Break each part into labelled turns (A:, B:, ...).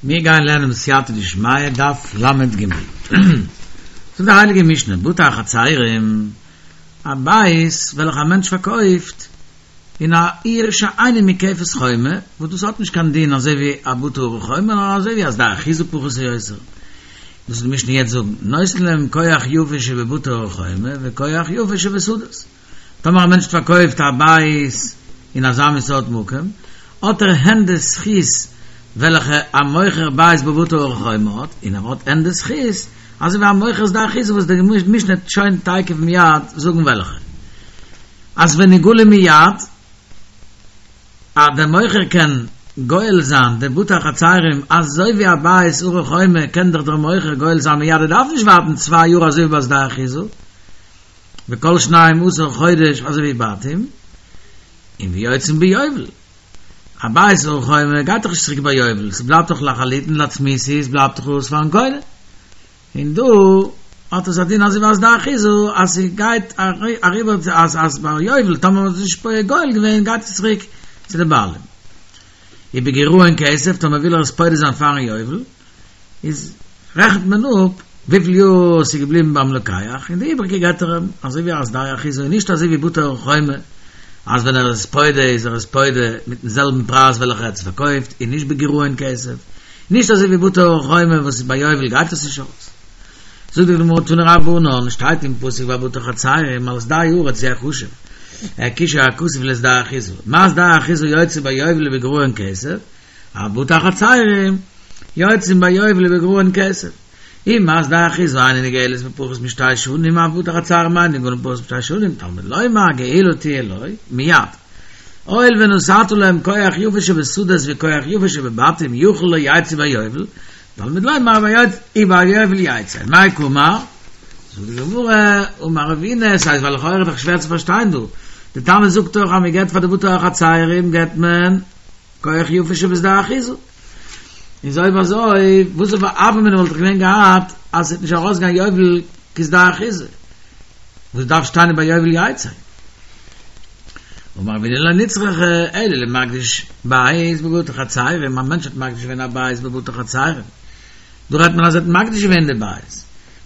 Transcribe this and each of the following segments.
A: מיר גייען לערנען בסייעתא דשמיא דף ל"ג. זאגט די הייליגע משנה, בתי החצרים, א בית וועלכע א מענטש פארקויפט אין א עיר שאינה מוקפת חומה, וואס דאס האט נישט קיין דין אזוי ווי א בתי ערי חומה, נאר אזוי ווי א שדה אחוזה פחות או יותר. דאס וועט די משנה יעצט זאגן, נותנין להם כח יפה שבבתי ערי חומה וכח יפה שבשדות. טאמער א מענטש האט פארקויפט א בית אין אזא מין סארט מקום, האט ער הן די זכות וועלכע א מוכר בית בבתי ערי חומה האט, און ער האט הן די זכות אזוי ווי א מוכר שדה אחוזה וואס די משנה וועט שוין תיכף מיד זאגן וועלכע. אז ונגאלין מיד, אז דער מוכר קען גואל זיין די בתי החצרים אזוי ווי א בית ערי חומה קען דאך דער מוכר גואל זיין מיד ער דארף נישט ווארטן צוויי יאר אזוי ווי ביי שדה אחוזה. וכל שנים עשר חודש אזוי ווי בתים, און ויוצאין ביובל. א בית ערי חומה גייט דאך נישט צוריק ביי יובל, ס'בלייבט דאך לחלוטין לצמיתות בלייבט דאך עס פארן קונה. און דא האט עס א דין אזוי ווי א שדה אחוזה אז ס'גייט אריבער אז אז ביי יובל טאמער מ'האט עס נישט גואל געווען גייט עס צוריק צו די בעלים. ובגרעון כסף טאמער וויל ער עס פודה זיין פארן יובל. איז רעכנט מען אפ וויפיל יאר ס'איז געבליבן ביים לוקח און די איבריגע געט ער אים, אזוי ווי א שדה אחוזה און נישט אזוי ווי בתי ערי חומה אז ווען ער איז פודה איז ער עס פודה מיטן זעלבן פרייז וועלכע ער האט עס פארקויפט און נישט בגרעון כסף, נישט אזוי ווי בתי ערי חומה וואס איז ביי יובל גייט עס נישט ארויס. זאגט די גמרא תנו רבנן, שטייט אין פסוק ביי בתי חצרים על שדה הארץ יחשב, הקישו הכתוב לשדה אחוזה, מה שדה אחוזה יוצא ביובל ובגרעון כסף, אף בתי החצרים יוצאים ביובל ובגרעון כסף. אם מה שדה אחוזה אינה נגאלת בפחות משתי שנים אף בתי החצרים אינן נגאלין בפחות משתי שנים תלמוד לומר גאולה תהיה לו מיד. הואיל ונתת להם כח יפה שבשדות וכח יפה שבבתים יכול לא יצא ביובל תלמוד לומר וביובל יצא. מאי קאמר? זאגט די גמרא, אמר רבינא, ס'איז ווייל לכאורה דאך שווער צו פארשטיין דא, די תנא זאגט דאך אז מ'געט פאר די בתי החצרים געט מען כח יפה שבשדה אחוזה. איז אויב אזוי, וואס פאר א הוה אמינא וואלט איך געווען געהאט אז ס'וועט נישט ארויסגיין יובל כשדה אחוזה? וואס דארף שטיין וביובל יצא? אמר רבינא לא נצרכה אלא למקדיש בית בבתי חצרים, א מענטש האט מקדיש געווען א בית בבתי חצרים, דא רעדט מען אז ער האט מקדיש געווען די בית,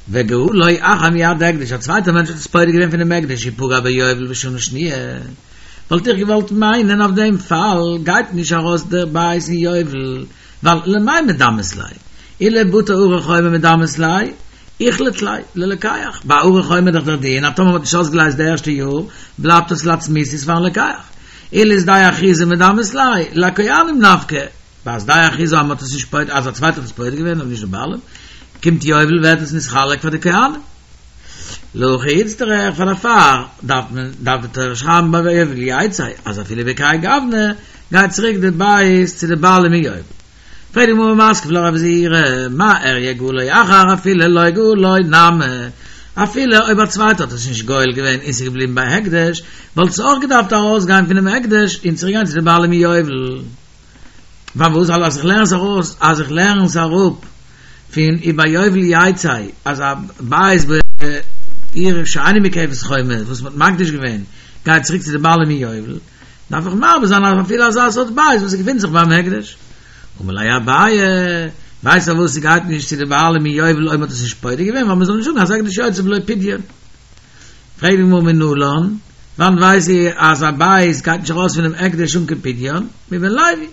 A: וגאלו אחר מיד הקדש, א צווייטער מענטש האט עס פודה געווען פונעם הקדש, ופגע ביובל בשנה שניה, וואלט איך געוואלט מיינען אויף דעם פאל גייט נישט ארויס דער בית אין יובל, ווייל למאי מדמית ליה, אי לבתי ערי חומה מדמית ליה, איחלט ליה ללוקח, ביי ערי חומה איז דאך דער דין אז טאמער מ'האט נישט אויסגעלייזט די ערשטע יאר בלייבט עס לצמיתות פארן לוקח, אי לשדה אחוזה מדמית ליה, לכהנים נפקא, ביי שדה אחוזה אז מ'האט עס נישט פודה אז א צווייטער האט עס פודה געווען און נישט די בעלים, קומט יובל ווערט עס נתחלק פאר די כהנים. להכי איצטריך פאר דערפאר דארף מען דארף די תורה שרייבן וביובל יצא אז אפילו בכהאי גוונא גייט צוריק די בית צו די בעלים אין יובל. פרעגט די גמרא מתקיף לה רב זירא מה איריא גאלו אחר אפילו לא גאלו נמי אפילו אויב א צווייטער האט עס נישט גואל געווען און ס'איז געבליבן ביי הקדש וואלט עס אויך געדארפט ארויסגיין פונעם הקדש און צוריק גיין צו די בעלים אין יובל. פארוואס? ווייל אז איך לערן עס ארויס, אז איך לערן עס אראפ פון וביובל יצא, אז א בית בעיר שאינה מוקפת חומה וואס מ'האט מקדיש געווען גייט צוריק צו די בעלים אין יובל, דארף איך מרבה זיין אז אפילו אזא סארט בית וואס געפינט זיך ביים הקדש. אמר ליה אביי, ווייסט פארוואס ס'גייט נישט צו די בעלים אין יובל אויב מ'האט עס נישט פודה געווען? ווייל מ'זאל נישט זאגן אז הקדש יוצא בלא פדיון. פרעגט די גמרא מנלן, וואנעט ווייס איך אז א בית גייט נישט ארויס פונעם הקדש אן קיין פדיון? מבן לוי.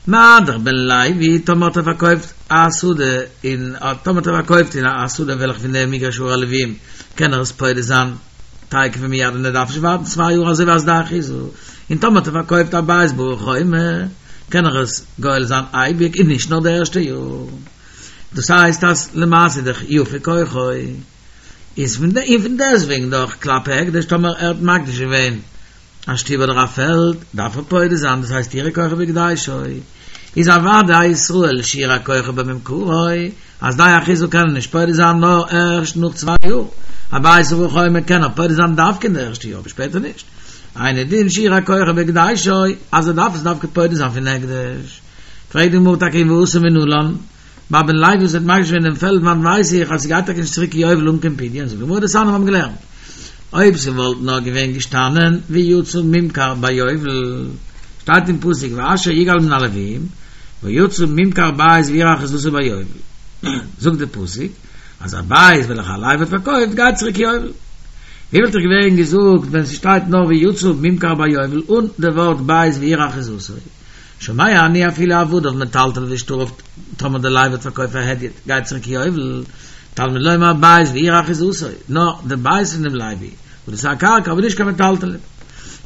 A: מה דאך בן לוי, טאמער האט ער פארקויפט א שדה און טאמער האט ער פארקויפט אין א שדה וועלכע פון די מגרש ערי הלוויים קען ער עס פודה זיין תיכף ומיד און ער דארף נישט ווארטן צוויי יאר אזוי ווי א שדה אחוזה, און טאמער האט ער פארקויפט א בית בערי חומה קען ער עס גואל זיין אייביג און נישט נאר די ערשטע יאר. דאס הייסט אז למעשה איז דאך יפה כוחו. איז פון און פון דעסטוועגן דאך כלפי הקדש טאמער ער האט מקדיש געווען א שטוב אדער א פעלד דארף ער פודה זיין דאס הייסט יראה כוחו בהקדשו איז אוודאי ישראל שירע כוחו בממכרו א שדה אחוזה קען ער נישט פודה זיין נאר ערשט נאך צוויי יאר א בית ערי חומה קען ער פודה זיין דווקא אין די ערשטע יאר אבער שפעטער נישט אינו דין שירע כוחו בהקדשו אז ער דארף עס דווקא פודה זיין פון הקדש פרעגט די גמרא טאקע והתם מנלן ביי בן לוי וואס האט מקדיש געווען דעם פעלד וואנעט ווייס איך אז ס'גייט טאקע נישט צוריק יובל אן קיין פדיון, זאגט די גמרא דתניא מיר האבן געלערנט אויב ס'וואלט נאר געווען געשטאנען ויצא ממכר ביובל, שטייט אין פסוק ואשר יגאל מן הלוויים. ויצא ממכר בית ועיר אחוזתו ביובל, זאגט די פסוק אז א בית וועלכע א לוי האט פארקויפט גייט צוריק יובל. ווי וואלט איך געווען געזאגט ווען ס'שטייט נאר ויצא ממכר ביובל אן די ווארט בית ועיר אחוזתו? שומע אני אפילו עבדיו מטלטלי ושטריו טאמער די לוי האט פארקויפט פאר הדיוט גייט צוריק יובל, תלמוד לומר בית ועיר אחוזתו, נאר די בית פון דעם לוי וואס דאס איז א קרקע אבער נישט קיין מטלטלין.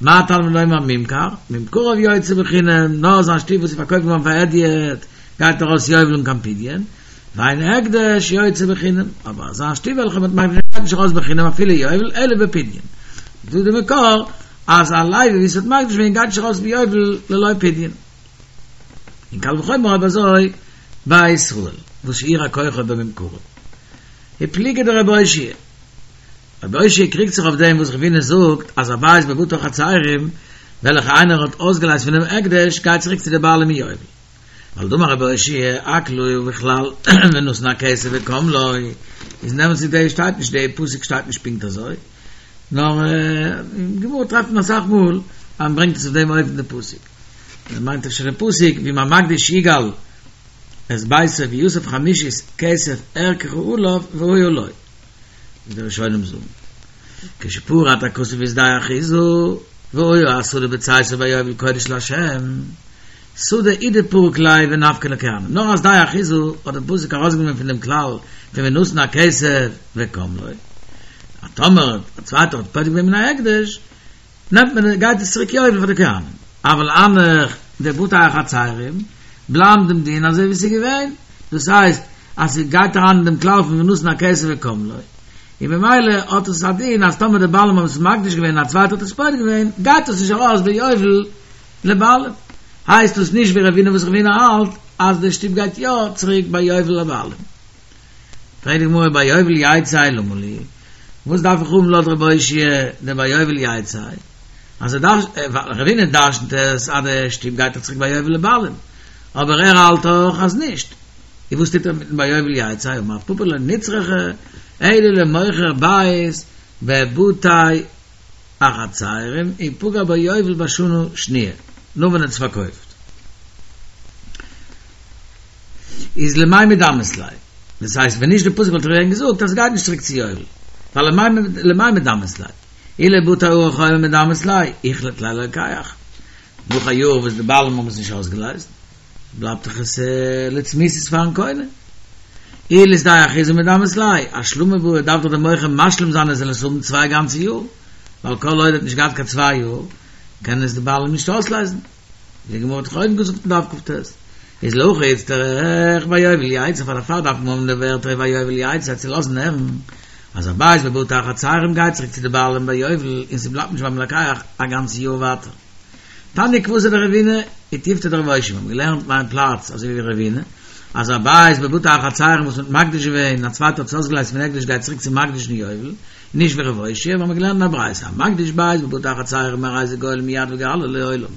A: מה תלמוד לומר ממכר, ממכריו יוצא בחינם, נאר זיין שטוב וואס איז פארקויפט געווארן פאר הדיוט גייט ארויס יובל אן קיין פדיון, ואין הקדש יוצא בחינם, אבער זיין שטוב וועלכע מ'האט מקדיש גייט נישט ארויס בחינם אפילו יובל אלא בפדיון. דא די מקור אז א לוי ווי ס'האט מקדיש געווען גייט נישט ארויס ביובל ללא פדיון. און קל וחומר אויב אזוי ביי ישראל וואס שהורע כוחו בממכרו. ופליגא דרבי אושעיא. רבי אושעיא קריגט זיך אויף דעם וואס רבינא זאגט אז א בית בבתי חצרים וועלכע איינער האט אויסגעלייזט פונעם הקדש גייט צוריק צו די בעלים אין יובל. ווייל דאמר רבי אושעיא עקלו בכלל ונתן הכסף וקם לו איז נעמען צו די שטייט נישט די פסוק שטייט נישט פונקט אזוי נאר אין גמרא טרעפט מען אסאך מאל אז מען ברענגט עס אויף דעם אופן די פסוק מען מיינט אפשר די פסוק ואם המקדיש יגאל את ביתו ויסף חמישית כסף ערכך עליו והיה לו ווי די ראשונים זאגן כשפרט הכתוב ושדה אחוזה והיה השדה בצאתו ביובל קודש להשם שדה הוא דפרק ליה ונפקא לכהנים, נאר א שדה אחוזה האט דער פסוק ארויסגענומען פון דעם כלל פון ונתן הכסף וקם לו, אז טאמער א צווייטער האט פודה געווען מן ההקדש, נעמט מען גייט עס צוריק יובל פאר די כהנים, אבל הנך די בתי החצרים בלייבט דעם דין אזוי ווי עס איז געווען, דאס הייסט אז ס'גייט אריין אין דעם כלל פון ונתן הכסף וקם לו, און ממילא האט עס א דין אז טאמער די בעלים האבן עס מקדיש געווען און א צווייטער האט עס פודה געווען, גייט עס נישט ארויס ביובל לבעלים, הייסט דאס נישט ווי רבינא וואס רבינא האלט אז די שטוב גייט יא צוריק ביובל לבעלים. פרעגט די גמרא ביובל יצא למה לי, וואס דארף איך האבן לויט רבי אושעיא די ביובל יצא, אז ער דארף, רבינא דרשנ'ט עס אז די שטוב גייט דאך צוריק ביובל לבעלים, אבער ער האלט דאך אז נישט, איז וואס טוט ער מיטן ביובל יצא, אמר רב פפא לא נצרכה אלא למוכר בית בבתי החצרים ופגע בו יובל בשנה שניה, נאר ווען ער האט עס פארקויפט. איז למאי מדמית ליה? דאס הייסט ווען נישט די פסוק וואלט איך געווען געזאגט אז עס גייט נישט צוריק צו יובל, ווייל למאי מדמית ליה? אי לבתי ערי חומה מדמית ליה, איחלט ליה לוקח. נאך א יאר וואס די בעלים האבן עס נישט אויסגעלייזט, בלייבט דאך עס לצמיתות פארן קונה. אי לשדה אחוזה מדמית ליה, אשלמי בעי דארף דאך דער מוכר משלים זיין ער זאל עס האבן צוויי גאנצע יאר, ווייל כל עוד ער האט נישט געהאט קיין צוויי יאר, קענען עס די בעלים נישט אויסלייזן. ווי די גמרא האט דאך אויבן געזאגט אין דף כ"ט, איז להכי איצטריך ביובל יצא, פאר דערפאר דארף מען האבן די ווערטער ביובל יצא צו לאזן הערן אז א בית בבתי החצרים גייט צוריק צו די בעלים ביובל און ס'בלייבט נישט ביים לוקח א גאנצע יאר ווייטער. תניא כוותיה דרבינא ותיובתא דרבי אושעיא, מיר האבן געלערנט מיין פלאץ אזוי ווי רבינא, אז א בית בבתי החצרים וואס מ'האט מקדיש געווען און א צווייטער האט עס אויסגעלייזט פון הקדש גייט צוריק צום מקדיש אין יובל, נישט ווי רבי אושעיא, ווייל מ'האט געלערנט אין א ברייתא, המקדיש בית בבתי החצרים הרי זה גואל מיד וגואלו לעולם.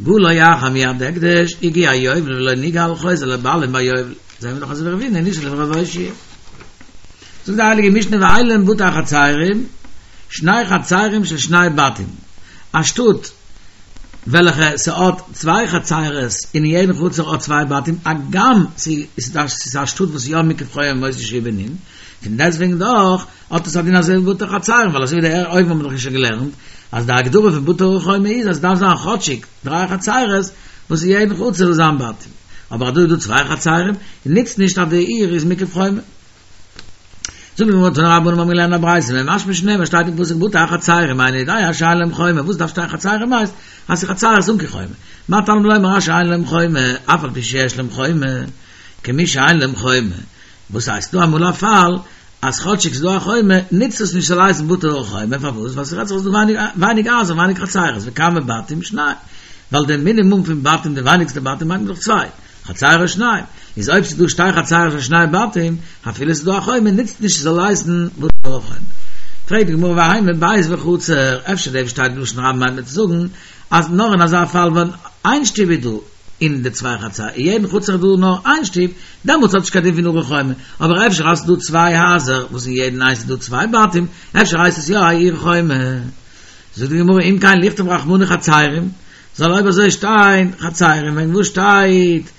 A: גאלו אחר מיד הקדש, הגיע יובל ולא נגאל חוזר לבעלים ביובל. זעהן מיר דאך אזוי ווי רבינא נישט אזוי ווי רבי אושעיא. זאגט די הייליגע משנה ואלו הן בתי החצרים, שני חצרים של שני בתים, א שטאט וועלכע ס'האט צוויי חצרות און אין יעדן חצר האט צוויי בתים, הגם ס'איז א שטאט וואס איז יא מוקף חומה מימות יהושע בן נון, פון דעסטוועגן דאך האט עס א דין אזוי ווי בתי חצרים, ווייל אזוי ווי די אויבן האבן מיר דאך שוין געלערנט אז די הגדרה פון בתי ערי חומה איז אז עס דארף זיין כאטשיג דריי חצרות וואס אין יעדן חצר זאל זיין בתים, אבער אז דא איז דא צוויי חצרים נוצט נישט אז די עיר איז מוקף חומה. זאגט די גמרא תנו רבנן האבן געלערנט א ברייתא ממשמע שנאמר שטייט אין פסוק בתי החצרים איני יודע שאין להם חומה וואס דארף שטיין חצרים הייסט אז ס'איז חצרות אן קיין חומה מה תלמוד לומר אשר אין להם חומה אף על פי שיש להם חומה כמי שאין להם חומה וואס הייסט דא אמאל א פאל אז כאטשיג ס'איז דא א חומה נוצט עס נישט צו הייסן בתי ערי חומה פארוואס ווייל ס'רעדט זיך אז ס'איז דא ווייניג הייזער ווייניג חצרות וכמה בתים שניים ווייל די מינימום פון בתים די ווייניגסטע בתים מיינט מען דאך צוויי חצר או שניים, איז אויב ס'איז דא שתי חצרות של שני בתים, אפילו ס'איז דא א חומה, נוצט נישט ס'זאל הייסן בתי ערי חומה. פרעגט די גמרא והאימא בית וחצר, אפשר דאס וואס שטייט בלשון רבים מיינט מען צו זאגן אז נאר אין אזא פאל ווען איין שטוב איז דא אין די צוויי חצר, אין יעדן חצר איז דא נאר איין שטוב, דעמאלטס האט נישט קיין דין פון ערי חומה, אבער אפשר אז ס'איז דא צוויי הייזער וואס אין יעדן איינס איז דא צוויי בתים, אפשר הייסט עס יא א עיר חומה. זאגט די גמרא אם כן לכתוב רחמנא חצרים, זאל אויב אזוי שטיין חצרים, וועגן וואס שטייט?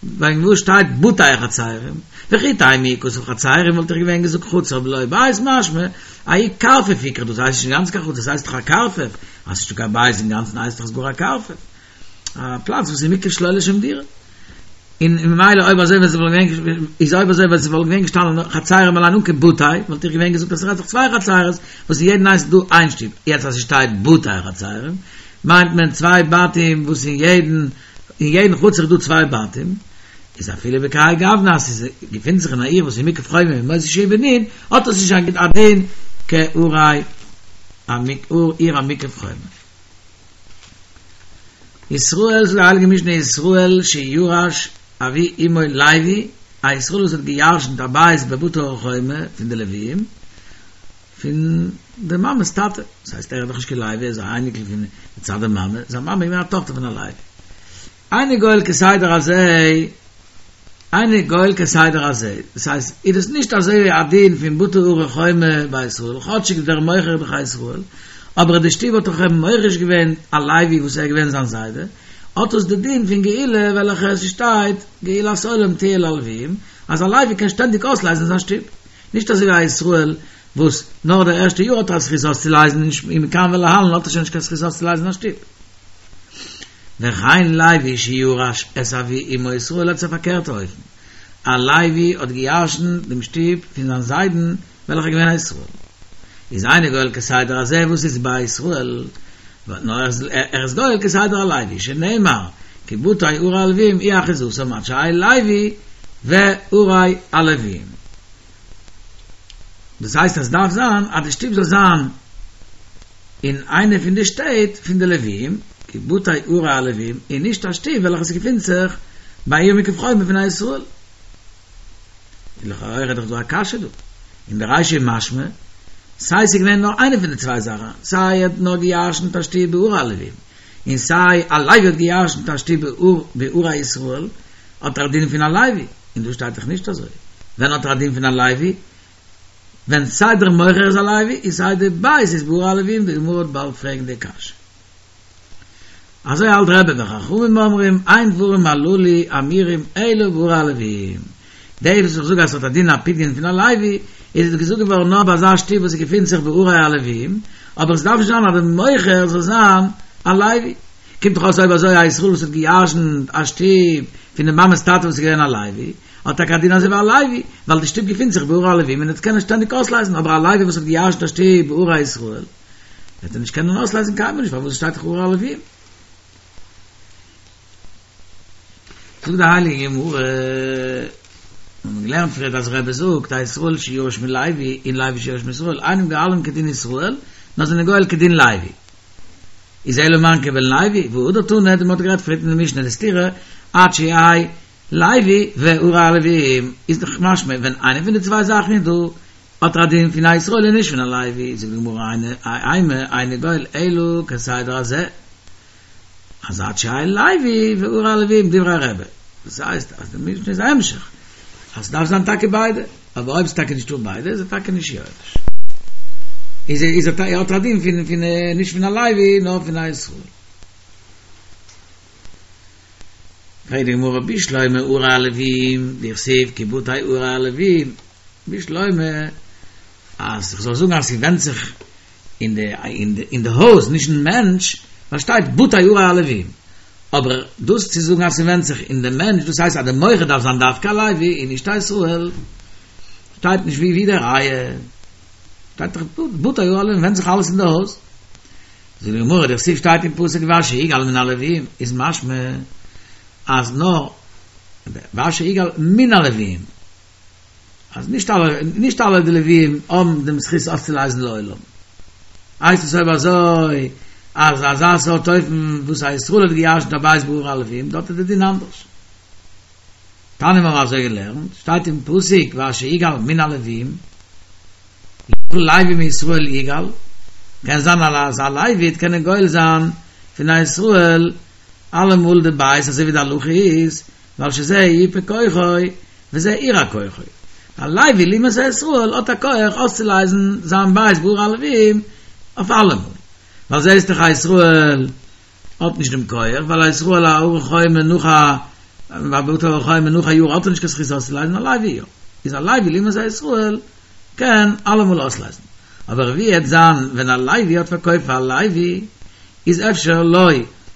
A: וועגן וואס שטייט בתי החצרים? וכי תימא אי כתב חצרים וואלט איך געווען געזאגט חצר בלא בית משמע ההוא קרפף איקרי דאס הייסט נישט אינגאנצן קיין חצר עס הייסט דאך א קרפף אז ס'נישטא קיין בית אינגאנצן הייסט דאך עס גאר א קרפף א פלאץ וואס איז מוקף שלא לשם דירה און ממילא אויב אזוי ווען ס'וואלט געווען איז אויב אזוי ווען ס'וואלט געווען געשטאנען חצרים אליין אן קיין בתי וואלט איך געווען געזאגט אז ס'רעדט זיך צוויי חצרות וואס אין יעדן איינס איז דא איין שטוב יעצט אז ס'שטייט בתי חצרים מיינט מען צוויי בתים וואס אין יעדן אין יעדן חצר איז דא צוויי בתים, איז אפילו בכהאי גוונא אז ס'איז געפינט זיך אין א עיר וואס איז מוקף חומה ומוסיף שהיא בנין, האט עס נישט א דין כערי עיר המוקף חומה. ישראל זאגט די הייליגע משנה ישראל שירש אבי אמו לוי, א ישראל וואס האט געירשנט א בית בבתי ערי חומה פון די לוויים, פון די מאמע'ס טאטע, דאס הייסט ער איז דאך נישט קיין לוי, ער איז א אייניקל פון מצד די מאמע, זיין מאמע איז געווען א טאכטער פון א לוי. אינו גואל כסדר הזה, אינו גואל כסדר הזה, דאס הייסט איז דאס נישט אזוי ווי א דין פון בתי ערי חומה בישראל, כאטשיג דער מוכר איז דאך א ישראל, אבער די שטוב האט דאך אים מוריש געווען א לוי וואס ער איז געווען זיין זיידע, האט עס די דין פון גאולה וועלכע עס שטייט גאולת עולם תהיה ללווים, אז א לוי קען שטענדיג אויסלייזן זיין שטוב. נישט אזוי ווי א ישראל וואס נאר די ערשטע יאר האט ער א זכות אויסצולייזן און מכאן ולהלן האט ער שוין נישט קיין זכות אויסצולייזן א שטוב. וכן לוי שירש את אבי אמו ישראל האט עס א פארקערטע אופן, א לוי האט געירשנט דעם שטוב פון זיין זיידן וועלכער איז געווען א ישראל, איז אינו גואל כסדר הזה וואס איז ביי ישראל, נאר ער איז גואל כסדר הלוי, שנאמר כי בתי ערי הלווים היא אחוזתם עד שיהא לוי וערי הלווים. דאס הייסט אז דארף זיין אז די שטוב זאל זיין אין איינע פון די שטעט פון די לווים, כי בתי ערי הלווים, און נישט א שטוב וועלכע ס'געפינט זיך ביי עיר מוקף חומה פון א ישראל. לכאורה איז דאך דא א קשיא דא. אין די רישא איז משמע, סיי ס'איז געווען נאר איינע פון די צוויי זאכן, סיי ער האט נאר געירשנט א שטוב בערי הלווים, און סיי א לוי האט געירשנט א שטוב בערי ישראל, האט ער א דין פון א לוי, און דא שטייט דאך נישט אזוי. ווען האט ער א דין פון א לוי? ווען סיי דער מוכר איז א לוי, און סיי די בית איז בערי הלווים, די גמרא וועט באלד פרעגן די קשיא. אזוי האלט רבי וחכמים אומרים אין דברים הללו אמורים אלא בערי הלוויים. דאס וואס איך זאג אז ס'האט א דין א פדיון פון א לוי, איז עס געזאגט געווארן נאר ביי אזא שטוב וואס עס געפינט זיך בערי הלוויים, אבער עס דארף נישט זיין אז דער מוכר זאל זיין א לוי. קומט דאך אויס אויב אזוי א ישראל וואס האט געירשנט א שטוב פון די מאמע'ס טאטע וואס איז געווען א לוי, האט טאקע א דין אזוי ווי א לוי, ווייל די שטוב געפינט זיך בערי הלוויים און ער קען עס שטענדיג אויסלייזן, אבער א לוי וואס האט געירשנט א שטוב בערי ישראל, וועט ער נישט קענען אויסלייזן קיינמאל נישט, פארוואס עס שטייט דאך ערי הלוויים. זאגט די הייליגע גמרא, מיר האבן געלערנט פריערט אז רבי זאגט א ישראל שירש מלוי און לוי שירש מישראל אינם גואלים כדין ישראל, נאר זענען גואל כדין לוי. איז אלא מאן כבן לוי, והדר תנא, די מ'האט גערעדט פריערט אין די משנה די סתירה, עד שיהא לוי וערי הלווים, איז דאך משמע ווען איינע פון די צוויי זאכן איז דא, האט ער א דין פון א ישראל און נישט פון א לוי, זאגט די גמרא אימא אינו גואל אלא כסדר הזה, אז עד שיהא לוי וערי הלווים דברי רבי, דאס הייסט אז די משנה איז א המשך, אז ס'דארף זיין טאקע ביידע, אבער אויב ס'איז טאקע נישטא ביידע איז ער טאקע נישט יורש, איז איז ער האט ער א דין פון פון נישט פון א לוי נאר פון א ישראל. פרעגט די גמרא בשלמא ערי הלווים דכתיב כי בתי ערי הלווים, בשלמא אז איך זאל זאגן אז ס'ווענדט זיך אין די אין די הויז נישט אין מענטש, ווייל שטייט בתי ערי הלווים, אבער דאס צו זאגן אז ס'ווענדט זיך אין די מענטש דאס הייסט אז די מוכר דארף זיין דווקא א לוי און נישט א ישראל, שטייט נישט ווי ווי די ראיה, שטייט דאך בתי ערי הלווים ווענדט זיך אלעס אין די הויז. זאגט די גמרא דכתיב שטייט אין פסוק ואשר יגאל מן הלוויים איז משמע אז נאר ואשר יגאל מן הלוויים אז נישט אלע נישט אלע די לוויים האבן דעם זכות אויסצולייזן לעולם. הייסט עס אויב אזוי אז אזא סארט אופן וואס א ישראל האט געירשנט א בית בערי הלוויים דארט איז די דין אנדערש. תניא מיר האבן אזוי געלערנט, שטייט אין פסוק ואשר יגאל מן הלוויים, יכול לוי מישראל יגאל, קען זיין אז א לוי וועט קענען גואל זיין פון א ישראל אלעמאל די בית אזוי ווי די הלכה איז, ווייל שזה יפה כוחו וזה ירע כוחו. א לוי לעומת א ישראל האט א כח אויסצולייזן זיין בית בערי הלווים אויף אלעמאל, ווייל זעהסט דאך א ישראל האט נישט דעם כח, ווייל א ישראל א ערי חומה נאך א. ביי בתי ערי חומה נאך א יאר האט ער נישט קיין זכות אויסצולייזן, א לוי יא, איז א לוי לעומת א ישראל קען אלעמאל אויסלייזן, אבער ווי עט זיין ווען א לוי האט פארקויפט פאר א לוי, איז אפשר לא,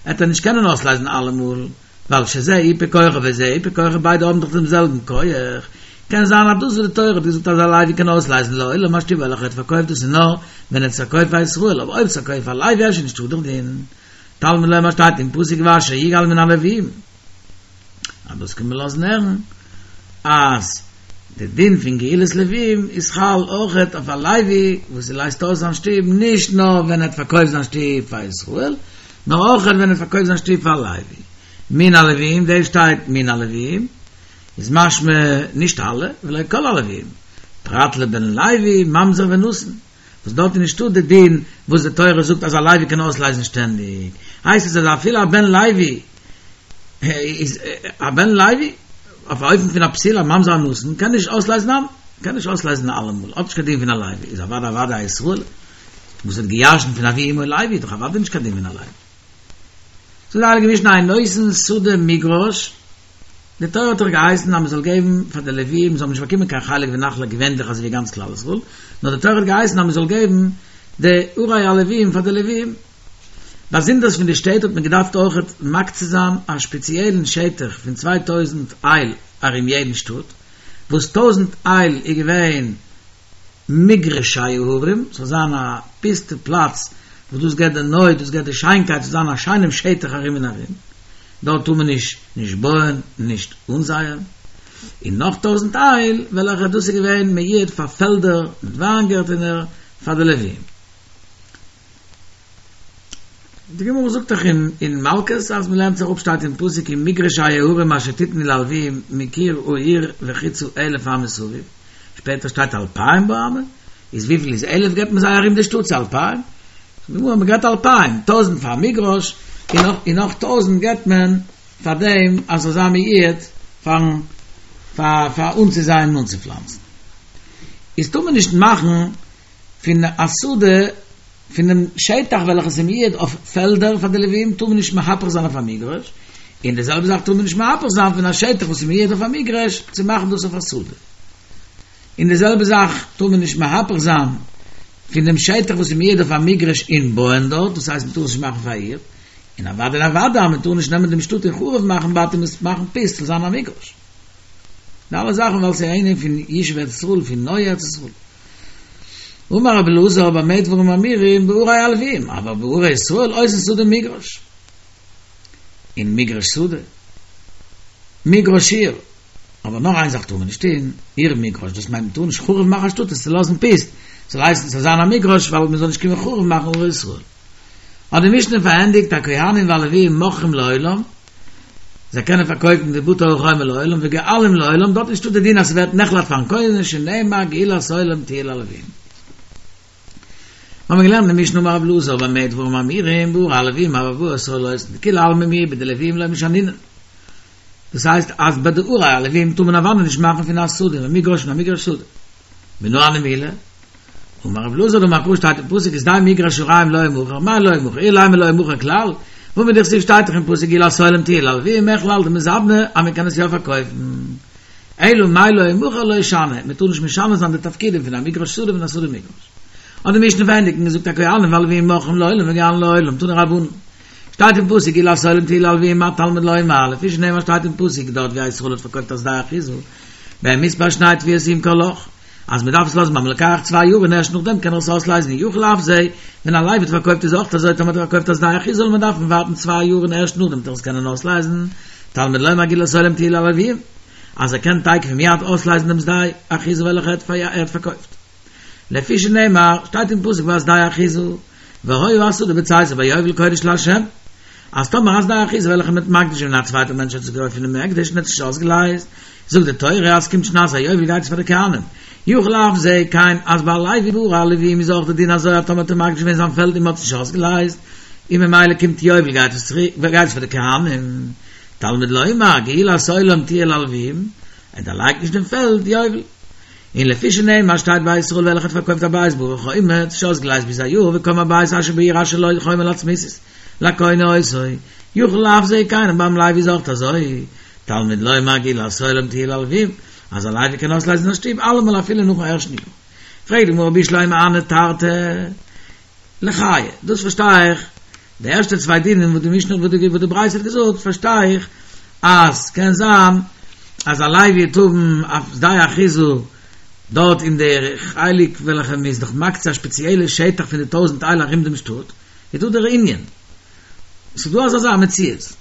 A: עט ער נישט קענען אויסלייזן אלעמאל, ווייל שזה יפה כוחו וזה יפה כוחו ביידע האבן דאך דעם זעלבן כח, קען זיין אז דאס וואס די תורה האט געזאגט אז א לוי קען אויסלייזן לעולם א שטוב וועלכע ער האט פארקויפט דאס איז נאר ווען ער האט עס פארקויפט פאר ישראל, אבער אויב עס פארקויפט פאר לוי אפשר נישטא דער דין. תלמוד לומר שטייט אין פסוק ואשר יגאל מן הלוויים אז דאס קען מען לאזן הערן אז די דין פון גאולת לווים איז חל אויכעט אויף א לוי וואס ער לייזט אויס זיין שטוב נישט נאר ווען ער האט פארקויפט זיין שטוב פאר ישראל נאר אויכעט ווען ער האט פארקויפט זיין שטוב פאר לוי מן הלוויים דא שטייט מן הלוויים איז משמע נישט אלע ולא כל הלוויים פרט לבן לוי ממזר ונתין וואס דארט איז נישטא די דין וואס די תורה זאגט אז א לוי קען אויסלייזן שטענדיג, הייסט עס אז אפילו א בן לוי איז א בן לוי אויף א אופן פון א פסול א ממזר א נתין קען נישט אויסלייזן א קען נישט אויסלייזן אלעמאל, האט נישט קיין דין פון א לוי, איז אוודאי אוודאי א ישראל וואס האט געירשנט פון אבי אמו לוי איז דאך אוודאי נישט קיין דין פון א לוי. זאגט די הייליגע משנה אין נותן שדה מגרש, די תורה האט דאך געהייסן אז מען זאל געבן פאר די לוויים, זיי האבן נישט באקומען קיין חלק ונחלה געווענליך אזוי ווי גאנץ כלל ישראל, נאר די תורה האט געהייסן אז מען זאל געבן די ערי הלוויים פאר די לוויים. באזונדערס פון די שטעט האט מען געדארפט אויכעט מקצה זיין א שפעציעלן שטח פון 2000 אייל ארום יעדן שטאט, וואס טויזנט אייל איז געווען מגרשי הערים, ס'זאל זיין א פיסטע פלאץ וואס דאס געבט די נוי, דאס געבט די שיינקייט, ס'זאל זיין א שיינעם שטח ארום און ארום, דארט טאר מען נישט נישט בויען נישט אנזייען, און נאך טויזנט אייל וועלכע דאס איז געווען מיועד פאר פעלדער מיט וויינגערטענער פאר די לווים. די גמרא זאגט דאך אין אין מלקות אז מען לערנט זיך אפ שטייט אין פסוק כי מגרשי הערים אשר תתנו ללוים מקיר העיר וחוצה אלף אמה סביב, שפעטער שטייט אלפיים באמה, איז וויפיל איז אלף געבט מען זיי ארום די שטאט צו אלפיים, זאגט די גמרא מען געבט אלפיים, טויזנט פאר מגרש און נאך און נאך טויזנט געבט מען פאר דעם אז ס'זאל זיין מיועד פארן פאר פאר אנצוזייען און אנצופלאנצן, איז טאר מען נישט מאכן פון א שדה פון דעם שטח וועלכעס איז מיועד אויף פעלדער פאר די לווים טאר מען נישט מהפך זיין אויף א מגרש, און די זעלבע זאך טאר מען נישט מהפך זיין פון א שטח וואס איז מיועד אויף א מגרש צו מאכן דאס אויף א שדה, און די זעלבע זאך טאר מען נישט מהפך זיין פון דעם שטח וואס איז מיועד אויף א מגרש און בויען דארט, דאס הייסט מען טאר עס נישט מאכן פאר א עיר, און אוודאי און אוודאי אז מען טאר נישט נעמען דעם שטאט און חרוב מאכן בתים עס מאכן פיסט זאל זיין א מגרש. די אלע זאכן ווייל ס'איז א ענין פון ישוב ארץ ישראל פון נוי ארץ ישראל. אמר רבי אלעזר במה דברים אמורים בערי הלוויים אבל בערי ישראל עושין שדה מגרש און מגרש שדה מגרש עיר אבער נאר איין זאך טאר מען נישט טון עיר מגרש דאס מיינט מען טאר נישט חרוב מאכן א שטאט עס צו לאזן פיסט זאל הייסן ס'זאל זיין א מגרש ווייל מען זאל נישט קומען חרוב מאכן ערי ישראל האט די משנה פארענדיגט הכהנים והלוויים מוכרים לעולם זיי קענען פארקויפן די בתי ערי חומה לעולם וגואלים לעולם, דארט איז נישטא די דין אז ס'ווערט נחלט פארן קונה, שנאמר גאולת עולם תהיה ללווים. האבן מיר געלערנט אין משנה אמר רבי אלעזר במה דברים אמורים בערי הלווים אבל בערי ישראל לא עושין דכולי עלמא מיהו בדלוויים לא משנינן. דאס הייסט אז ביי די ערי הלווים טאר מען אוודאי נישט מאכן פון א שדה מגרש און א מגרש שדה. מנא הני מילי? אמר רב אלעזר דאמר קרא שטייט אין פסוק ושדה מגרש עריהם לא ימכר, מאי לא ימכר, אילימא לא ימכר כלל, והא מדכתיב שטייט דאך אין פסוק גאולת עולם תהיה ללווים מכלל דמזבני אז מען קען עס יא פארקויפן, אלא מאי לא ימכר לא שאני, מען טאר נישט משנה זיין די תפקידים פון א מגרש שדה און א שדה מגרש. האט די משנה פארענדיגט און געזאגט הכהנים והלוויים מוכרים לעולם וגואלים לעולם, תנו רבנן. שטייט אין פסוק גאולת עולם תהיה ללווים מה תלמוד לומר, לפי שנאמר שטייט אין פסוק דארט ווי א ישראל האט פארקויפט א שדה אחוזה, בן מספר שני תבואות ימכור לך, אז מען דארף עס לאזן ביים לוקח צוויי יאר און ערשט נאכדעם קען ער עס אויסלייזן יכול אף זה, ווען א לוי האט פארקויפט איז אויך אזוי טאמער האט ער פארקויפט א שדה אחוזה זאל מען דארפן ווארטן צוויי יאר און ערשט נאכדעם וועט ער עס קענען אויסלייזן, תלמוד לומר גאולת עולם תהיה ללווים, אז ער קען תיכף ומיד אויסלייזן דעם שדה אחוזה וועלכע ער האט פארקויפט. לפי שנאמר, שטייט אין פסוק והשדה אחוזה, והיה השדה בצאתו ביובל קודש לה', אז טאמער א שדה אחוזה וועלכע מ'האט מקדיש געווען א צווייטער מענטש האט עס געקויפט פונעם הקדש און האט עס נישט אויסגעלייזט, זאגט די תורה אז קומט שנת היובל גייט עס פאר די כהנים, יכול אף זה כן אז ביי א לוי בערי הלווים איז אויך די דין אזוי אז טאמער האט ער מקדיש געווען זיין פעלד און מ'האט עס נישט אויסגעלייזט און ממילא קומט יובל גייט עס צוריק גייט עס פאר די כהנים, תלמוד לומר גאולת עולם תהיה ללווים, ער דערלייגט נישט דעם פעלד יובל. און לפי שנאמר שטייט ביי ישראל וועלכע האט פארקויפט א בית בערי חומה האט נישט אויסגעלייזט ביז א יאר וקם הבית אשר בעיר אשר לו חומה לצמיתות לקונה אותו יכול אף זה כן און ביים לוי איז אויך אזוי. תלמוד לומר גאולת עולם תהיה ללווים, אז א לוי קען אויסלייזן זיין שטוב אלעמאל אפילו נאכן ערשטן יאר. פרעגט די גמרא בשלמא הני תרתי לחיי, דאס פארשטיי איך, די ערשטע צוויי דינים וואס די משנה וואס די ברייתא האט געזאגט פארשטיי איך אז ס'קען זיין אז א לוי וועט האבן א שדה אחוזה דארט אין די חלק וועלכע מ'איז דאך מקצה א שפעציעלע שטח פון די טויזענט אייל ארום דעם שטאט איז דא דער ענין ס'איז דא אזא זאך א מציאות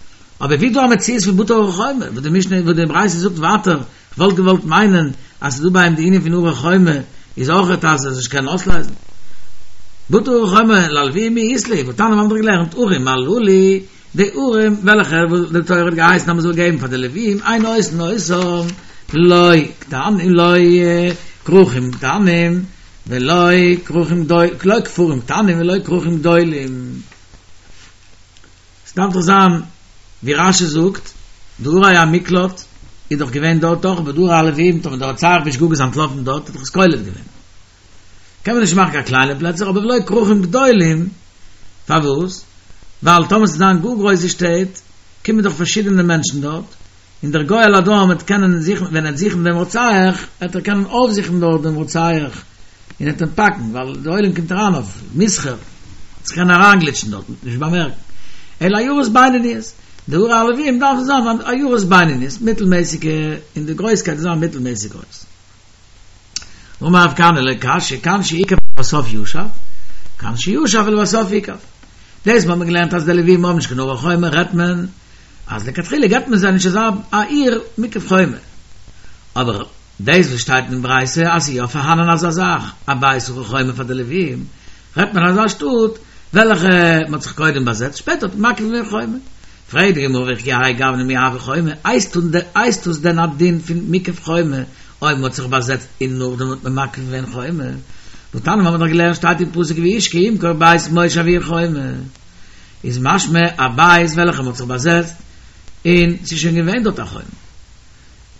A: אבער ווי איז דא א מציאות פון בתי ערי חומה וואס די משנה וואס די ברייתא זאגט ווייטער כ'וואלט געוואלט מיינען אז ס'איז דא ביי אים די ענין פון ערי חומה איז אויכעט אז ער זאל נישט קענען אויסלייזן. בתי ערי חומה ללוים מי אית להו, והתניא מיר האבן דאך געלערנט ערים הללו, די ערים וועלכע די תורה האט געהייסן אז מ'זאל געבן פאר די לווים אין עושין אותם לא קטנים לא כרכים קטנים ולא כרכים גדולים לא כפרים קטנים ולא כרכים גדולים. ס'דארף דאך זיין ווי רש"י זאגט, די ערי המקלט איז דאך געווען דארט דאך, אבער די ערי הלווים, טאמער דער רוצח בשגגה איז אנטלאפן דארט, האט דאך עס קולט געווען. קען מען נישט מאכן קיין קליינע פלעצער, אבער ולא כרכים גדולים, פארוואס? ווייל טאמער ס'וועט זיין גאר גרויסע שטעט, קומען דאך פארשידענע מענטשן דארט, און דער גואל הדם וועט קענען זוכן, ווען ער וועט זוכן דעם רוצח, וועט ער קענען אויפזוכן דארט דעם רוצח, און ער וועט אים פאקן, ווייל די עולם קומט אריין אויף מסחר, וועט זיך קענען אריינגליטשן דארט, מ'וועט נישט באמערקן. אלא עיירות בינוניות, די ערי הלווים דארפן זיין עיירות בינוניות, מיטלמעסיגע, אין די גרויסקייט זיין מיטלמעסיג גרויס. אמר רב כהנא לא קשיא, כאן שהקיף ולבסוף ישב, כאן שישב ולבסוף הקיף. דאס וואס מ'האט געלערנט אז די לווים האבן נישט קיין ערי חומה רעדט מען אז לכתחילה געבט מען זיי נישט אזא א עיר מוקף חומה. אבער דאס וואס שטייט אין ברייתא אז ס'איז יא פארהאנען אזא זאך א בית ערי חומה פאר די לווים, רעדט מען אזא שטאט וועלכע מ'האט זיך קודם באזעצט שפעטער האט מען מקיף געווען חומה. פרעגט די גמרא וכי האי גוונא מי הוי חומה, הייסט דאס דען א דין פון מוקף חומה אויב מ'האט זיך באזעצט און נאכדעם האט מען מקיף געווען חומה? והתניא מ'האט דאך געלערנט שטייט אין פסוק ואיש כי ימכור בית מושב עיר חומה איז משמע א בית וועלכע מ'האט זיך באזעצט און ס'איז שוין געווען דארט א חומה.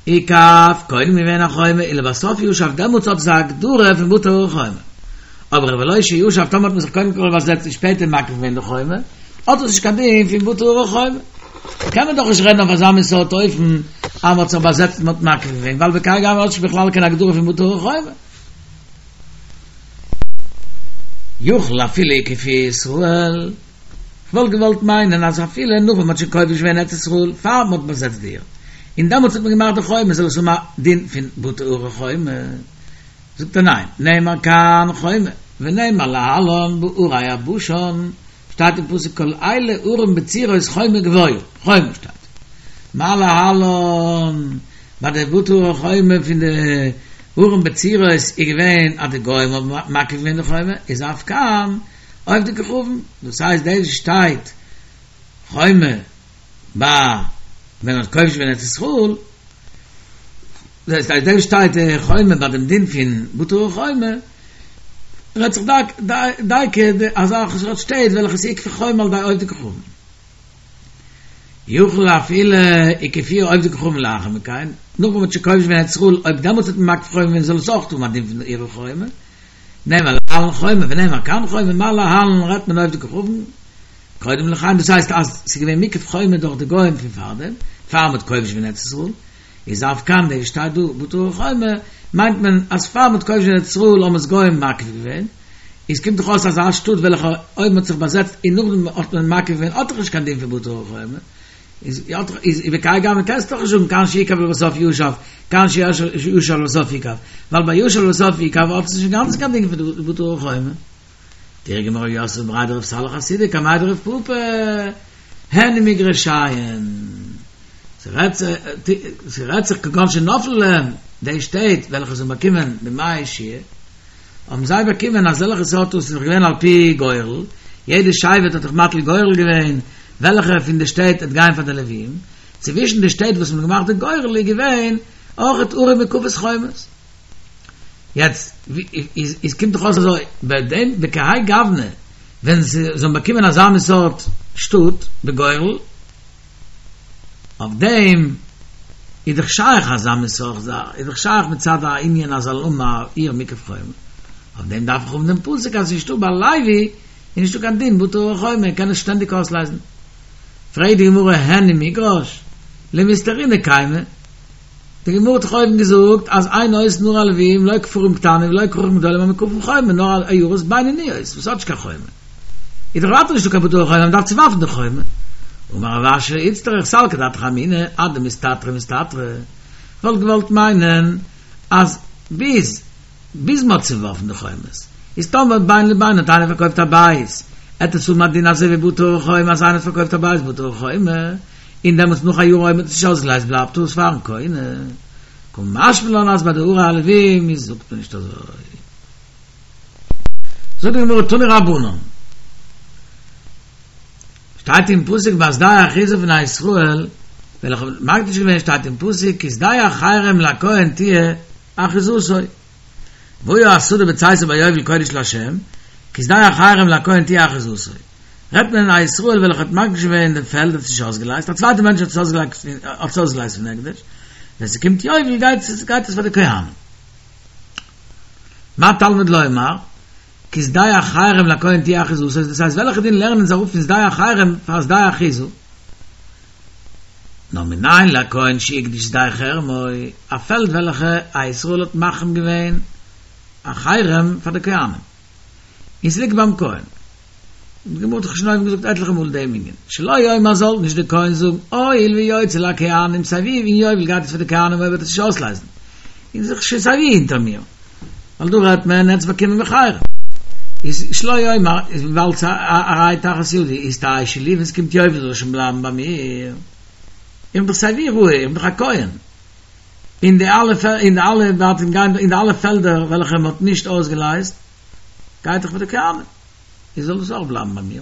A: הקיף קודם געווען א חומה און לבסוף ישב דעמאלטס האט עס א הגדרה פון בתי ערי חומה. אבער ולא שישב טאמער האט מען זיך קודם כל באזעצט און שפעטער מקיף געווען די חומה האט עס נישט קיין דין פון בתי ערי חומה. קען מען דאך נישט רעדן אויף אזא מין סארט אופן אז מען האט זיך באזעצט און מען האט מקיף געווען ווייל בכהאי גוונא האט נישט בכלל קיין הגדרה פון בתי ערי חומה. יכול אפילו הקיפוה ישראל. כ'וואלט געוואלט מיינען אז אפילו נאך ווען מ'האט שוין כובש געווען ארץ ישראל פאר מ'האט באזעצט די עיר, און דעמאלטס האט מען געמאכט די חומה זאל עס האבן א דין פון בתי ערי חומה, זאגט ער ניין, נאמר כאן חומה, ונאמר להלן בערי הבשן, שטייט אין פסוק כל אלה ערים בצורות חומה גבוהה, חומה שטייט, מה להלן ביי די בתי ערי חומה פון די ערים בצורות איז געווען אז די גוים האבן מקיף געווען די חומה, איז אף כאן עובדי כוכבים, דאס הייסט דאס וואס שטייט חומה ביי ווען מ'האט כובש געווען ארץ ישראל, דאס הייסט דאס שטייט חומה ביי דעם דין פון בתי ערי חומה, רעדט זיך דייקא אזעלכע סארט שטעט וועלכע איז הוקפה חומה על ידי עובדי כוכבים. יכול אפילו הקיפוה עובדי כוכבים לאחר מכן, נאך ווען מ'האט שוין כובש געווען ארץ ישראל, אויב דעמאלטס האט מען מקיף חומה געווען זאל עס אויך האבן א דין פון ערי חומה, נאמר להלן חומה ונאמר כאן חומה, מה להלן רעדט מען עובדי כוכבים קודם לכן, דאס הייסט אז ס'איז געווען מוקף חומה דורך די גוים פון פארדעם, פאר מ'האט כובש געווען ארץ ישראל, איז אף כאן דאס שטייט דא בתי ערי חומה, מיינט מען אז פאר מ'האט כובש געווען ארץ ישראל האבן עס גוים מקיף געווען, איז קומט דאך אויס אז א שטאט וועלכע אויב מ'האט זיך באזעצט און נאכדעם האט מען מקיף געווען האט דאך נישט קיין דין פון בתי ערי חומה, איז איז בכהאי גוונא קענסטו דאך נישט זאגן כאן שהקיף ולבסוף ישב, כאן שישב ולבסוף הקיף, ווייל ביי ישב ולבסוף הקיף האט עס נישט אינגאנצן קיין דין פון בתי ערי חומה. תרגמא רב יוסף בריה דרב סלא חסידא קמיה דרב פפא הן מגרשיהן ס'רעדט זיך כגון שנפלו להם די שטעט וועלכע זיי האבן באקומען בימי יהושע האבן זיי באקומען אזעלכע סארט וואס איז דאך געווען על פי גורל, יעדע שבט האט דאך מטיל גורל געווען וועלכע פון די שטעט וועט גיין פאר די לווים, צווישן די שטעט וואס מ'האט געמאכט די גורל איז געווען אויכעט ערים מוקפות חומות. יעצט איז איז קומט דאך אויס אזוי, ביי דעם בכהאי גוונא ווען זיי האבן באקומען אזא מין סארט שטאט בגורל, אויף דעם איז דאך שייך אזא מין סארט זאך, איז דאך שייך מצד הענין אז זאל האבן א עיר מוקף חומה, אויף דעם דארף איך האבן דעם פסוק אז ס'איז נישטא ביי לוי איז נישטא קיין דין בתי ערי חומה, ער קען עס שטענדיג אויסלייזן. פרעגט די גמרא הן מגרש? למיסתרינהו קיימי, די גמרא האט דאך אויבן געזאגט אז אין עושין ערי הלוים לא כפרים קטנים ולא כרכים גדולים המוקפים חומה נאר עיירות בינוניות וואס האט נישט קיין חומה איז דאך ווייטער נישטא קיין בתי ערי חומה מען דארף צוווארפן די חומה. אמר רב אשי איצטריך סלקא דעתך אמינא עד דמיסתתרי מיסתתרי כ'וואלט געוואלט מיינען אז ביז ביז מ'האט צוווארפן די חומות איז טאמער בין לבין האט איינער פארקויפט א בית עט עס האבן א דין אזוי ווי בתי ערי חומה אז איינער האט פארקויפט א בית בתי ערי חומה און דעמאלטס נאך א יאר אויב מ'האט עס נישט אויסגעלייזט בלייבט עס פארן קונה, קא משמע לן אז ביי די ערי הלווים איז זאגט מען נישט אזוי. זאגט די גמרא תנו רבנן, שטייט אין פסוק ביי שדה האחוזה פון א ישראל וועלכע האט מקדיש געווען שטייט אין פסוק כי שדה החרם לכהן תהיה אחוזתו והיה השדה בצאתו ביובל קודש לה' כי שדה החרם לכהן תהיה אחוזתו רעדט מען א ישראל וועלכע האט מקדיש געווען דעם פעלד האט עס נישט אויסגעלייזט, א צווייטער מענטש האט עס האט עס אויסגעלייזט פון הקדש, ווען ס'קומט יובל גייט עס גייט עס פאר די כהנים. מה תלמוד לומר, כי שדה החרם לכהן תהיה אחוזתו, דאס הייסט וועלכע דין לערנען זיי אראפ פון שדה החרם פאר שדה אחוזה? נאר מנין לכהן שהקדיש שדה חרמו, א פעלד וועלכע א ישראל האט מחרים געווען א חרם פאר די כהנים, און ס'ליגט ביים כהן. די גמרא האט דאך שוין אויבן געזאגט עטליכע מאל דעם ענין, שלא יאמר זאל נישט דער כהן זאגן הואיל ויוצא לכהנים סיי ווי אין יובל גייט עס פאר די כהנים אויב וועט עס נישט אויסלייזן איז דאך שוין סיי ווי אונטער מיר ווייל דא רעדט מען ער האט עס באקומען בחרם איז שלא יאמר איז וויבאלד ס'איז הרי תחת ידי איז תהא שלי ווען ס'קומט יובל זאל עס שוין בלייבן ביי מיר איך בין דאך סיי ווי ראוי איך בין דאך א כהן אין די אלע אין די אלע בתים גייען אין די אלע פעלדער וועלכע מען האט נישט אויסגעלייזט גייט דאך פאר די כהנים. איז זאל דאס אויך בלייבן ביי מיר.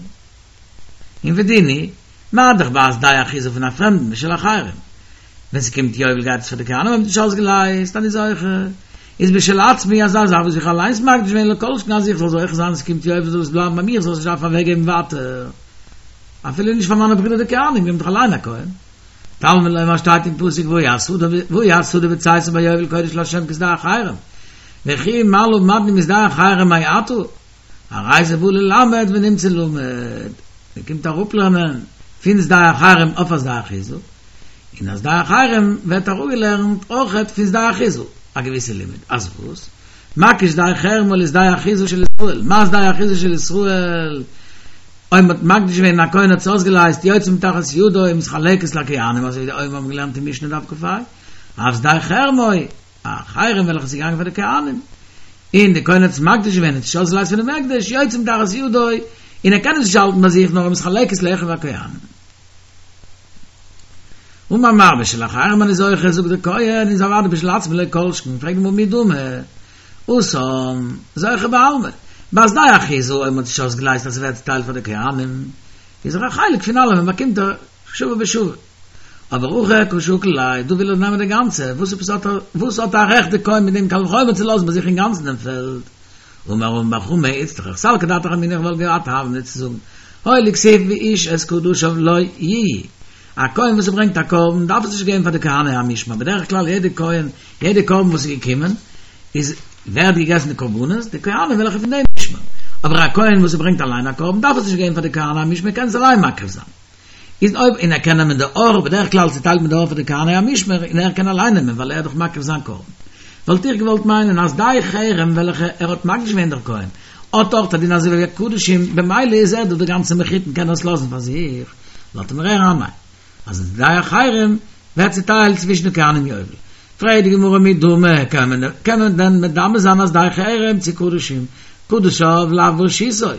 A: און ודין הוא, מה דאך ביי א שדה אחוזה פון א פרעמדן ושל אחרים. ווען ס'קומט יובל גייט עס פאר די כהנים אויב מ'האט נישט אויסגעלייזט, אני זוכה. איז בשל עצמי אזא זאך וואס איך האב אליינס מקדיש געווען לא כל שכן אז איך זאל זוכה זיין אז ס'קומט יובל זאל עס בלייבן ביי מיר איך זאל עס נישט דארפן אוועקגעבן ווייטער אפילו נישט פאר מיינע ברידער די כהנים איך בין דאך אליין א כהן. תלמוד לומר שטייט אין פסוק והיה השדה בצאתו ביובל קודש לה' כשדה החרם וכי מה למדנו משדה החרם מעתה הרי זה בא ללמד ונמצא למד, מען קומט אראפלערנען פון שדה החרם אויף א שדה אחוזה, און א שדה החרם ווערט אראפגעלערנט אויכעט פון שדה אחוזה, א געוויסע לימוד, אז וואס? מקיש שדה חרמו לשדה אחוזה של ישראל, מה שדה אחוזה של ישראל, אויב מען האט מקדיש געווען און א כהן האט עס אויסגעלייזט יוצא מתחת ידו ומתחלקת לכהנים אזוי ווי אויבן האבן געלערנט אין משנה דף כ"ה, אף שדה חרמו, א חרם וועלכע איז געגאנגען פאר די כהנים, און די כהן האט עס מקדיש געווען און עס נישט אויסגעלייזט פונעם הקדש, יוצא מתחת ידו, און ער קען עס נישט האלטן ביי זיך נאר ומתחלקת לאחיו הכהנים. אמר מר בשל אחרים אני זוכה, זאגט דער כהן, איז אוודאי בשל עצמו לא כל שכן, פרעגט די גמרא מי דמי, התם, זוכה בעלמא, ביי שדה אחוזה אויב מען האט נישט אויסגעלייזט אז ס'ווערט צוטיילט פאר די כהנים, איז דאך א חלק פון אלעמען באקומט ער שווה בשווה. אבער הכא קא שקיל ליה, דא וויל ער נעמען די גאנצע, וואס עפעס האט ער, וואס האט א רעכט די כהן מיט דעם קל וחומר צו לאזן ביי זיך אינגאנצן דעם פעלד? אמר רמי בר חמא איצטריך סלקא דעתך אמינא איך וואלט געהאט א הוה אמינא צו זאגן, הואיל וכתיב ואיש את קדשיו לו יהיו, א כהן וואס ברענגט א קרבן דארף עס נישט געבן פאר די כהני המשמר, בדרך כלל יעדע כהן, יעדע קרבן וואס איז געקומען, איז ווער האט געגעסן די קרבנות? די כהנים וועלכע פון דעם משמר, אבער א כהן וואס ברענגט אליין א קרבן דארף עס נישט געבן פאר די כהני המשמר, קען עס אליין מקריב זיין. איז אויב און ער קען נעמען די עור, בדרך כלל צוטיילט מען די עור פאר די כהני המשמר און ער קען אליין נעמען ווייל ער האט דאך מקריב זיין קרבן. וואלט איך געוואלט מיינען אז שדה חרם וועלכע ער האט מקדיש געווען דער כהן האט אויך א דין אזוי ווי קדשים במילא איז ער דא די גאנצע מחותן קען ער עס לאזן פאר זיך, לאזט ער מיר הערן א ניין אז שדה החרם ווערט צוטיילט צווישן די כהנים יובל. פרעגט די גמרא מי דמי, קען מען דען מדמה זיין א שדה חרם צו קדשים, קדשיו לאו ברשותו, ער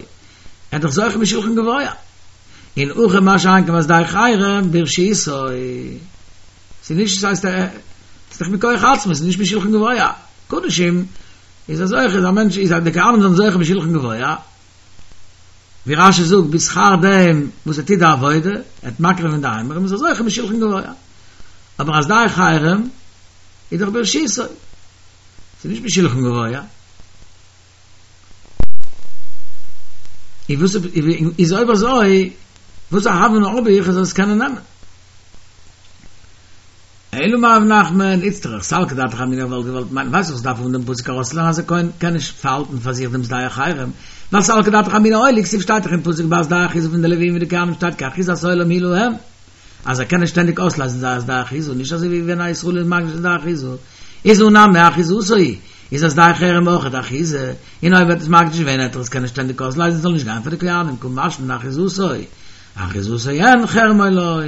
A: איז דאך זוכה משולחן גבוה. און הכא מה שאין כן ביי שדה חרם ברשותו, ס'איז נישט ס'הייסט ס'איז דאך מכח עצמו ס'איז נישט משולחן גבוה, קדשים איז א זוכה איז א מענטש איז די כהנים זענען זוכה משולחן גבוה, ווי רש"י זאגט בשכר דעם וואס ער טוט די עבודה, ער האט מקריב געווען די אימורים איז ער זוכה משולחן גבוה, אבער א שדה חרם איז דאך ברשותו, ס'איז נישט משולחן גבוה. איז וואס איז אויב אזוי וואס א הוה אמינא האב איך ער זאל עס קענען נעמען? אלא אמר רב נחמן איצטריך סלקא דעתך אמינא איך וואלט געוואלט מיינען ווייסט וואס דארף האבן דעם פסוק ארויסצולערנען אז א כהן קען נישט פארהאלטן פאר זיך דעם שדה החרם ווייל סלקא דעתך אמינא הואיל וכתיב שטייט דאך אין פסוק ביי שדה אחוזה פון די לווים און די כהנים שטייט כי אחוזת עולם היא להם. אז זיי קענען שטענדיג אויסלייזן זייער שדה אחוזה, נישט אזוי ווי ווען א ישראל איז מקדיש שדה אחוזה, איז הא נמי אחוזתו היא, איז א שדה חרם אויכעט אחוזה, און אויב ער האט עס מקדיש געווען העט ער עס קענען שטענדיג אויסלייזן ס'זאל נישט גיין פאר די כהנים קא משמע לן אחוזתו, אחוזתו אין חרמו לא.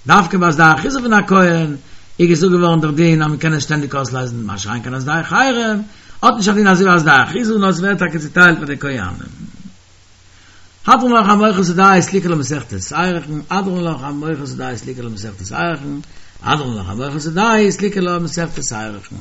A: דווקא ביי שדה אחוזה פון א כהן איז געזאגט געווארן דער דין אז מען קען עס שטענדיג אויסלייזן, מה שאין כן א שדה חרם האט נישט א דין אזוי ווי א שדה אחוזה נאר עס ווערט טאקע צוטיילט פאר די כהנים. הדרן עלך המוכר שדהו סליקה לה מסכת ערכין, הדרן עלך המוכר שדהו סליקה לה מסכת ערכין, הדרן עלך המוכר שדהו סליקה לה מסכת ערכין.